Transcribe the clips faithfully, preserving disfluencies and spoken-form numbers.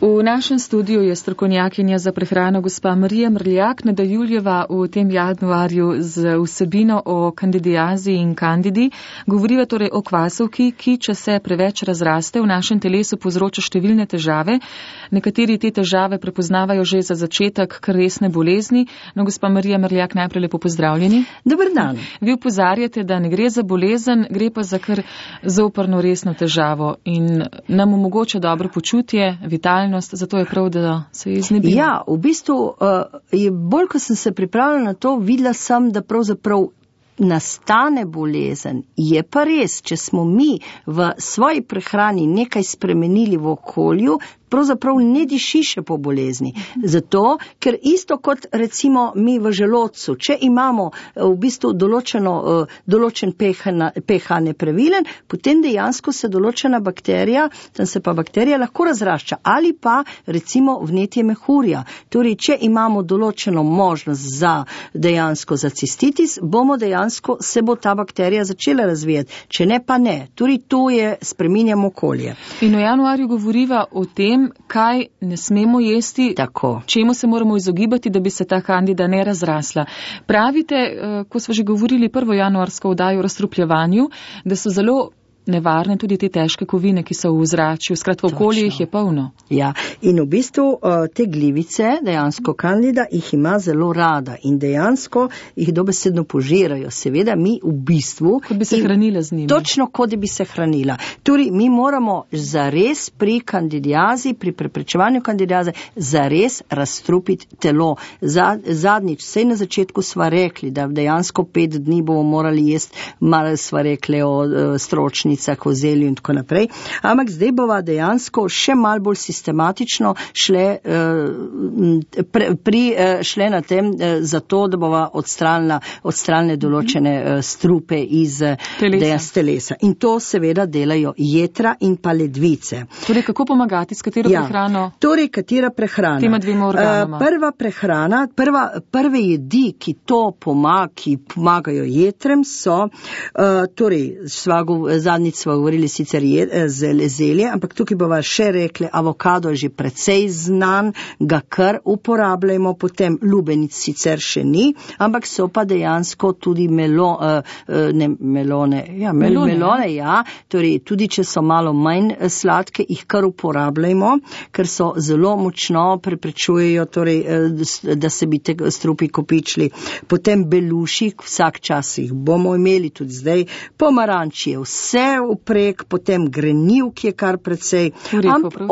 V našem studiu je strokovnjakinja za prehrano gospa Marija Mrljak. Nadaljujeva v tem januarju z vsebino o kandidiazi in kandidi. Govoriva torej o kvasovki, ki, če se preveč razraste, v našem telesu povzroča številne težave. Nekateri te težave prepoznavajo že za začetek kar resne bolezni. No, gospa Marija Mrljak, najprej lepo pozdravljeni. Dober dan. Vi opozarjate, da ne gre za bolezen, gre pa za kar zoprno resno težavo in nam omogoča dobro počutje, vitalnost. Zato je prav, da se je iznebila. Ja, v bistvu, uh, je bolj, ko sem se pripravila na to, videla sem, da pravzaprav nastane bolezen. Je pa res, če smo mi v svoji prehrani nekaj spremenili v okolju, pravzaprav ne diši še po bolezni. Zato, ker isto kot recimo mi v želodcu, če imamo v bistvu določeno, določen pH nepravilen, potem dejansko se določena bakterija, tam se pa bakterija lahko razrašča, ali pa recimo vnetje mehurja. Torej, če imamo določeno možnost za dejansko za cistitis, bomo dejansko se bo ta bakterija začela razvijati. Če ne, pa ne. Torej, to je spreminjamo okolje. In v januarju govoriva o tem, kaj ne smemo jesti, tako, čemu se moramo izogibati, da bi se ta kandida ne razrasla. Pravite, ko smo že govorili prvo januarsko oddajo o razstrupljevanju, da so zelo nevarne tudi te težke kovine, ki so v ozračju. Skratka, okolje jih je polno. Ja, in v bistvu te glivice, dejansko kandida, jih ima zelo rada in dejansko jih dobesedno požirajo. Seveda mi v bistvu... Kot bi se hranila z njimi. Točno, kot bi se hranila. Torej, mi moramo zares pri kandidiazi, pri preprečevanju kandidiaze, zares razstrupiti telo. Zadnjič, sej na začetku sva rekli, da dejansko pet dni bomo morali jesti, malo sva rekli o stročni, o zelju in tako naprej. Ampak zdaj bova dejansko še mal bolj sistematično šle, pre, pri, šle na tem zato, da bova odstranila, odstranile določene strupe iz telesa. telesa. In to seveda delajo jetra in pa ledvice. Torej, kako pomagati, s katero ja, prehrano? Torej, katera prehrana? Tema dvema organoma. Prva prehrana, prva, prve jedi, ki to pomaga, ki pomagajo jetrem, so, torej, svago, zadnji sva govorili sicer je, zelje, ampak tukaj bova še rekli, avokado je že precej znan, ga kar uporabljamo, potem lubenic sicer še ni, ampak so pa dejansko tudi melo, ne, melone, ja, mel, melone, melone, ja, torej tudi če so malo manj sladke, jih kar uporabljamo, ker so zelo močno preprečujejo, torej, da se bi te strupi kopičili. Potem beluši, vsak čas jih bomo imeli tudi zdaj, pomaranč je vse uprek, potem grenivk je kar precej,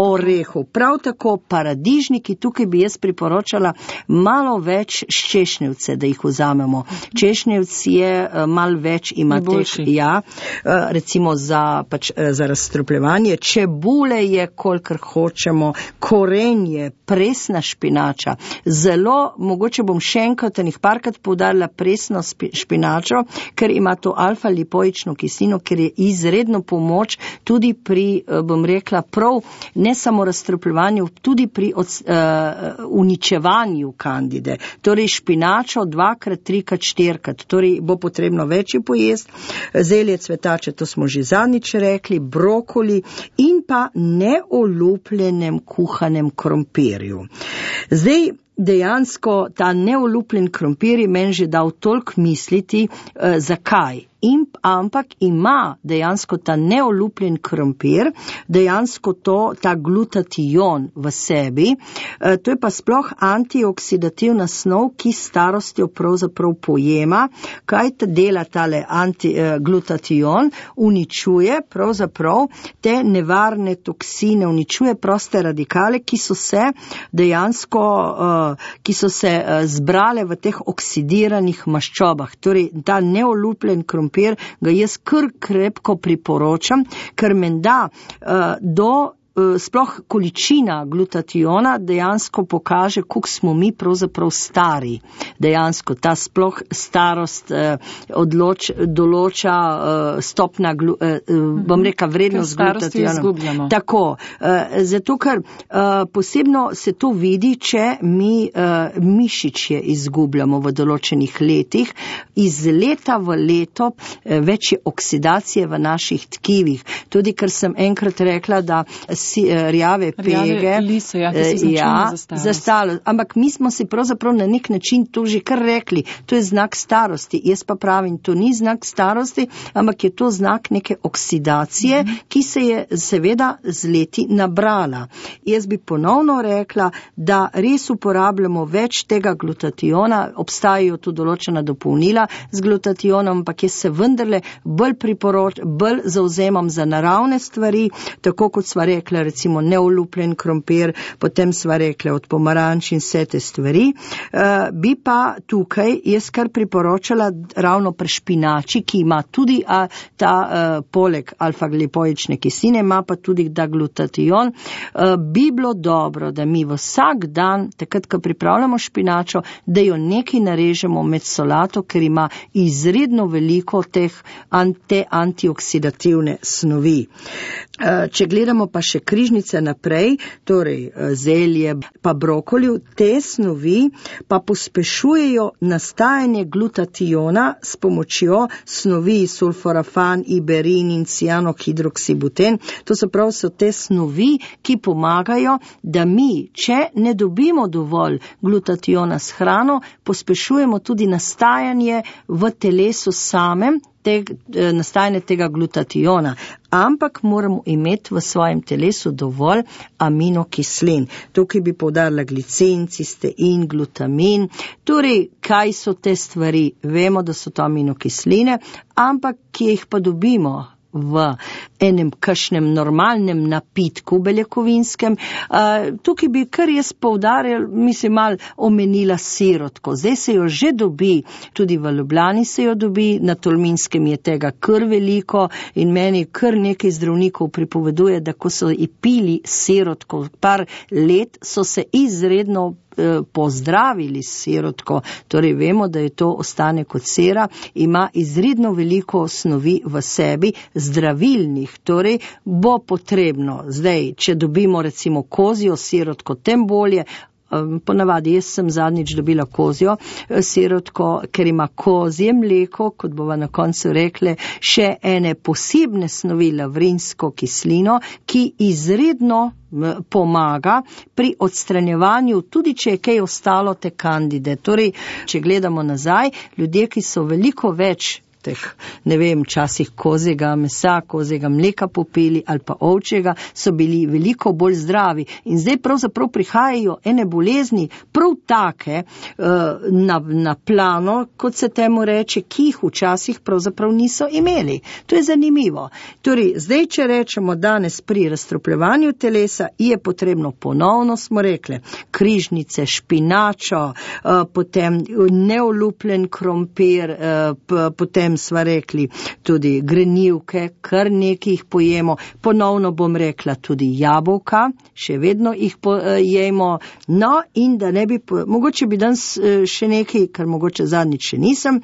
orehov. Prav tako paradižniki, tukaj bi jaz priporočala malo več češnjevce, da jih vzamemo. Češnjevc je malo več, ima teh, ja, recimo za, pač, za razstrupljevanje. Čebule je, kolikor hočemo, korenje, presna špinača. Zelo, mogoče bom še enkrat enih parkrat poudarila presno špinačo, ker ima to alfa-lipoično kislino, ker je izredno pomoč tudi pri, bom rekla, prav ne samo razstrupljevanju, tudi pri od, uh, uničevanju kandide. Torej špinačo dvakrat, trikrat, štirikrat, torej bo potrebno večji pojesti, zelje, cvetače, to smo že zadnjič rekli, brokoli in pa neolupljenem kuhanem krompirju. Zdaj, dejansko ta neolupljen krompir je meni že dal toliko misliti, uh, zakaj. In, ampak ima dejansko ta neolupljen krompir, dejansko to, ta glutation v sebi, e, to je pa sploh antioksidativna snov, ki starostjo pravzaprav pojema, kaj ta dela tale anti, e, glutation, uničuje pravzaprav te nevarne toksine, uničuje proste radikale, ki so se dejansko, e, ki so se e, zbrale v teh oksidiranih maščobah. Torej, ta neolupljen krompir ga jaz kar krepko priporočam, ker menda uh, do sploh količina glutationa dejansko pokaže, koliko smo mi pravzaprav stari. Dejansko ta sploh starost eh, odloč, določa eh, stopna, glu, eh, bom reka, vrednost glutationa. Tako, eh, zato ker eh, posebno se to vidi, če mi eh, mišičje izgubljamo v določenih letih. Iz leta v leto eh, več je oksidacije v naših tkivih. Tudi, ker sem enkrat rekla, da si, rjave pege. Rjave lise, ja, ki so značilne ja, za starost. Za starost. Ampak mi smo si pravzaprav na nek način to že kar rekli. To je znak starosti. Jaz pa pravim, to ni znak starosti, ampak je to znak neke oksidacije, mm-hmm. ki se je seveda z leti nabrala. Jaz bi ponovno rekla, da res uporabljamo več tega glutationa, obstajajo tu določena dopolnila z glutationom, ampak jaz se vendarle bolj priporoč, bolj zauzemam za naravne stvari, tako kot sva rekla, recimo neolupljen krompir, potem sva rekla od pomaranč in vse te stvari. Uh, bi pa tukaj jaz kar priporočala ravno pri špinači, ki ima tudi a, ta uh, poleg alfa-glipoične kisline, ima pa tudi da glutation. Uh, bi bilo dobro, da mi vsak dan, takrat, ko pripravljamo špinačo, da jo nekaj narežemo med solato, ker ima izredno veliko teh ante, antioksidativne snovi. Če gledamo pa še križnice naprej, torej zelje pa brokolju, te snovi pa pospešujejo nastajanje glutationa s pomočjo snovi sulforafan, iberin in cianohidroksibuten. To so prav so te snovi, ki pomagajo, da mi, če ne dobimo dovolj glutationa s hrano, pospešujemo tudi nastajanje v telesu samem, Te, nastajanje tega glutationa, ampak moramo imeti v svojem telesu dovolj aminokislin. Tukaj bi poudarila glicin, cistein, glutamin. Torej, kaj so te stvari? Vemo, da so to aminokisline, ampak ki jih pa dobimo v enem kakšnem normalnem napitku beljakovinskem. Uh, tukaj bi kar jaz poudarjal, mislim, mal omenila sirotko. Zdaj se jo že dobi, tudi v Ljubljani se jo dobi, na Tolminskem je tega kar veliko in meni kar nekaj zdravnikov pripoveduje, da ko so i pili sirotko par let, so se izredno pozdravili s sirotko, torej vemo, da je to ostane kot sera, ima izredno veliko snovi v sebi, zdravilnih, torej bo potrebno, zdaj, če dobimo recimo kozjo sirotko, tem bolje. Ponavadi, jaz sem zadnjič dobila kozjo sirotko, ker ima kozje mleko, kot bova na koncu rekle, še ene posebne snovi, lavrinsko kislino, ki izredno pomaga pri odstranjevanju, tudi če je kaj ostalo te kandide. Torej, če gledamo nazaj, ljudje, ki so veliko več teh, ne vem, časih kozjega mesa, kozjega mleka popili ali pa ovčjega, so bili veliko bolj zdravi. In zdaj pravzaprav prihajajo ene bolezni, prav take, na, na plano, kot se temu reče, ki jih včasih pravzaprav niso imeli. To je zanimivo. Torej, zdaj, če rečemo danes pri razstropljevanju telesa, je potrebno ponovno, smo rekli, križnice, špinačo, potem neolupljen krompir, potem sva rekli tudi grenivke, kar nekaj jih pojemo, ponovno bom rekla tudi jabolka, še vedno jih pojemo, no in da ne bi, po, mogoče bi danes še nekaj, kar mogoče zadnjič še nisem,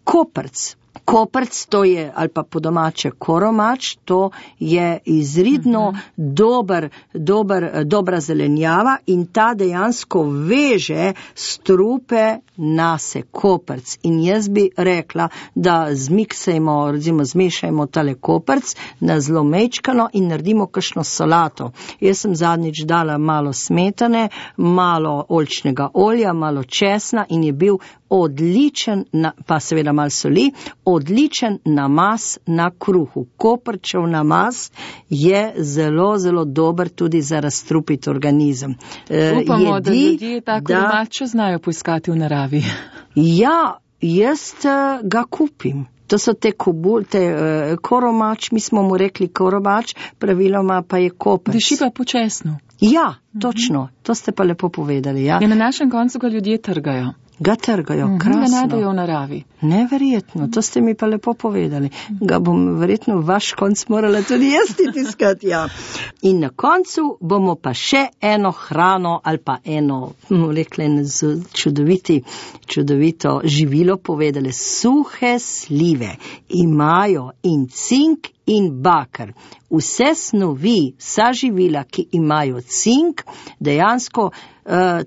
koprc. Koprc, to je, ali pa po domače koromač, to je izredno uh-huh. dober, dober, dobra zelenjava in ta dejansko veže strupe nase, koprc. In jaz bi rekla, da zmiksajmo, recimo zmešajmo tale koprc na zelo mečkano in naredimo kakšno solato. Jaz sem zadnjič dala malo smetane, malo oljčnega olja, malo česna in je bil odličen, pa seveda malo soli, odličen namaz na kruhu. Koprčev namaz je zelo, zelo dober tudi za razstrupiti organizem. Upamo, Jedi, da ljudje tako domače znajo poiskati v naravi. Ja, jaz ga kupim. To so te kobul, te uh, koromač, mi smo mu rekli koromač, praviloma pa je koprc. Diši pa počasno. Ja, točno, to ste pa lepo povedali. Ja. Ja, na našem koncu ga ljudje trgajo. Ga trgajo, mm-hmm, krasno. Ga najdejo v naravi. Neverjetno, to ste mi pa lepo povedali. Ga bom verjetno vaš konc morala tudi jaz tiskati, ja. In na koncu bomo pa še eno hrano ali pa eno, rekli, čudoviti, čudovito živilo povedali. Suhe slive imajo in cink in bakar. Vse snovi, vsa živila, ki imajo cink, dejansko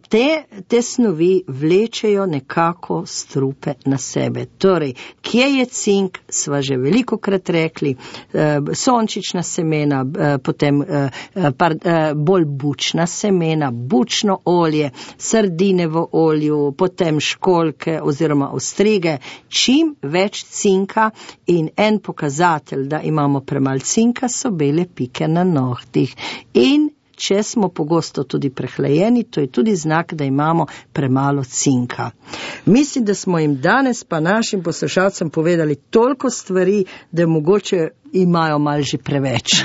te, te snovi vlečejo nekako strupe na sebe. Torej, kje je cink, sva že veliko krat rekli, sončična semena, potem par, bolj bučna semena, bučno olje, sardine v olju, potem školjke oziroma ostrige, čim več cinka in en pokazatelj, da imamo premalo cinka, so bele pike na nohtih. In če smo pogosto tudi prehlajeni, to je tudi znak, da imamo premalo cinka. Mislim, da smo jim danes pa našim poslušalcem povedali toliko stvari, da mogoče imajo malo že preveč.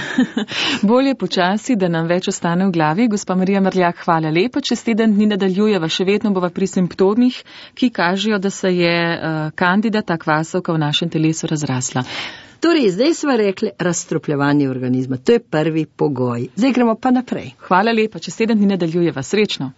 Bolje počasi, da nam več ostane v glavi. Gospa Marija Mrljak, hvala lepa. Čez teden dni nadaljujeva, še vedno bova pri simptomih, ki kažejo, da se je uh, kandida, ta kvasovka v našem telesu razrasla. Torej, zdaj smo rekli razstrupljevanje organizma. To je prvi pogoj. Zdaj gremo pa naprej. Hvala lepa. Čez teden dni nadaljujeva. Srečno.